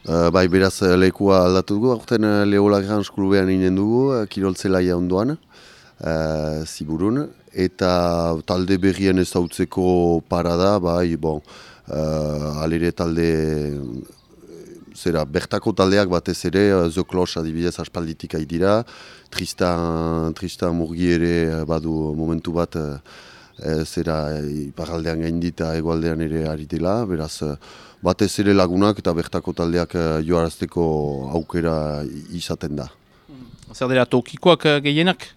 Bai, beraz lekua aldatu dugu, aurten Leo Lagrange klubean inen dugu, kiroltzelaia ondoan, Ziburun, eta talde berrien ezautzeko parada, bai, alere talde, bertako taldeak batez ere, The Cloche adibidez aspalditik dira, Tristan Murgi ere badu momentu bat, iparaldean gaindita egoaldean ere ari dela, beraz, batez ere lagunak eta bertako taldeak joarazteko aukera izaten da. Zer dira tokikoak gehienak?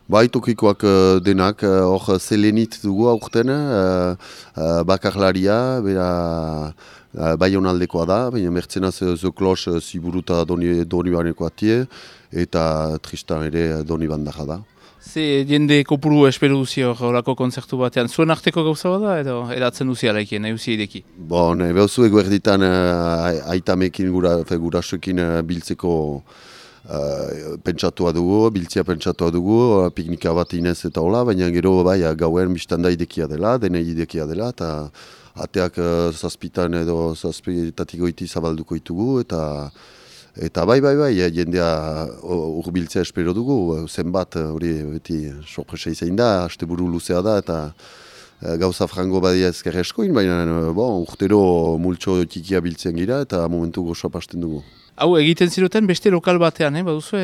Bai, tokikoak denak, hor Zelenit dugu aurten, bakarlaria, bera Baionaldekoa da, baina mertzenaz The Cloche Ziburuta Donibaneko atie, eta Tristan ere Donibandaja da. Ze jende kopuru espero duzio horako konzertu batean. Zuen arteko gauza bada edo eratzen duzia laikien, nahi duzia ideki? Behozu eguerditan aitamekin gurasoekin biltzeko pentsatua dugu, piknika bat inez eta hola, baina gero gauen biztanda idekia dela, denei idekia dela, eta ateak zazpitan edo zazpitatik goiti zabalduko ditugu, eta bai, jendea urbiltzea espero dugu, zenbat hori beti sorpresa izan da, asteburu luzea da, eta gauza frango badia ezker eskoin, baina urtero multxo tikia biltzen gira, eta momentu gozoa pasten dugu. Hau egiten ziruten beste lokal batean, baduzu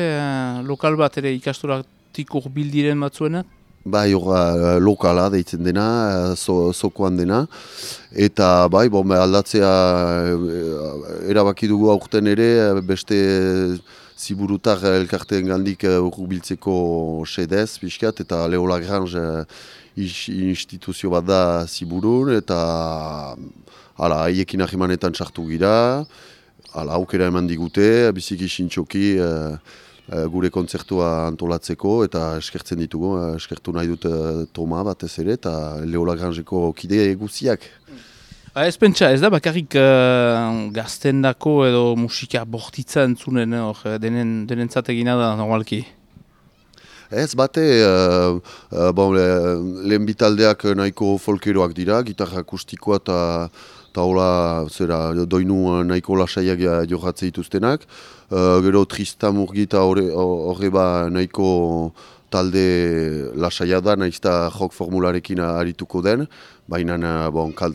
lokal bat ere ikastolatik urbildiren batzuena? Bai, lokala deitzen dena, zokoan dena, eta bai, aldatzea erabaki dugu aurten ere, beste Ziburutar elkarteen gandik urbiltzeko sedez, pixkat, eta Leo Lagrange instituzio bat da Ziburun, eta haiekin ahimanetan sartu gira, aukera eman digute, biziki sintxoki, gure kontzertua antolatzeko eta eskertzen ditugu, eskertu nahi dut Toma batez ere eta Leo Lagrangeko kide guziak. Ez pentsa, ez da bakarrik gaztendako edo musika bortitza entzunen denentzat egina da normalki? Ez bate, lehen bitaldeak nahiko folkeroak dira, gitarra akustikoa eta hola, doinu nahiko lasaiak johatzea dituztenak. Gero Tristan Murgi eta horreba nahiko talde lasaia da, nahiz jok formularekin arituko den, baina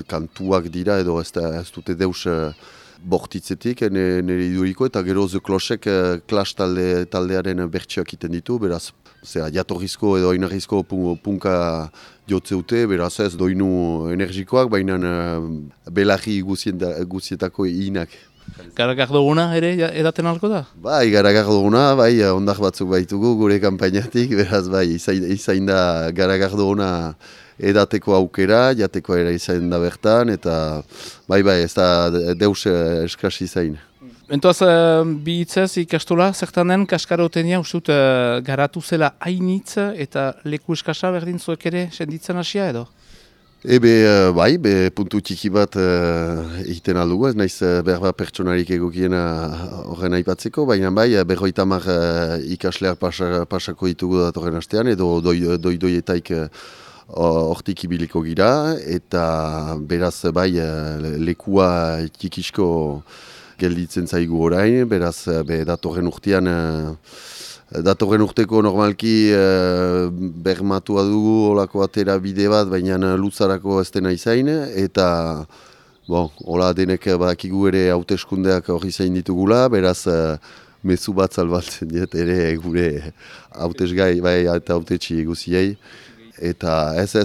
kantuak dira edo ez dute deus bortitzetik nire iduriko, eta gero The Clochek Clash taldearen bertsioak iten ditu, beraz, jatorrizko edo oinarrizko punka jotzeute, beraz ez doinu energikoak, baina belarri guzietako inak. Garagardoguna ere edaten alko da? Bai, Garagardoguna, bai, ondak batzuk baitugu gure kanpainatik, beraz bai, izain da Garagardoguna edateko aukera, jateko ere izain da bertan, eta bai, ez da deus eskasi izain. Entoaz, bi hitzez ikastola, zertan den, kaskarotenia, ustut, garatu zela hainitz eta leku eskasa berdin zuek ere senditzen hasia edo? Bai, puntu txiki bat egiten aldugu, ez naiz berba pertsonarik egokiena horren aipatzeko, baina bai, 50 ikasleak pasako ditugu datorren astean, edo doietaik hortik ibiliko gira, eta beraz bai, lekua txikisko gelditzen zaigu orain, beraz datorren urteko normalki bermatua dugu olako atera bide bat, baina luzarako ez dena izain, eta hola denek badakigu ere hauteskundeak hori zain ditugula, beraz mezu bat salbatzen diet ere gure hautesgai eta hautetxi guziei, eta ez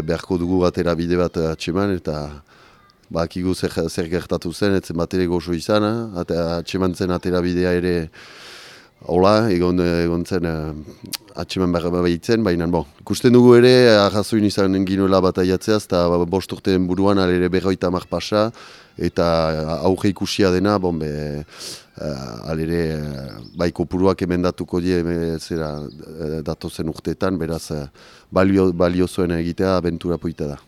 beharko dugu atera bide bat atseman, eta bakigu zer gertatu zen, etzen bat ere gozo izan, atseman zen atera bidea ere hola, egon zen atseman behar behitzen, baina ikusten dugu ere, arrazoin izan ginuela bataiatzeaz, eta 5 urteen buruan alere 50 pasa, eta aurre ikusia dena, alere kopuruak emendatuko die datozen urteetan, beraz balio zuen egitea abentura poita da.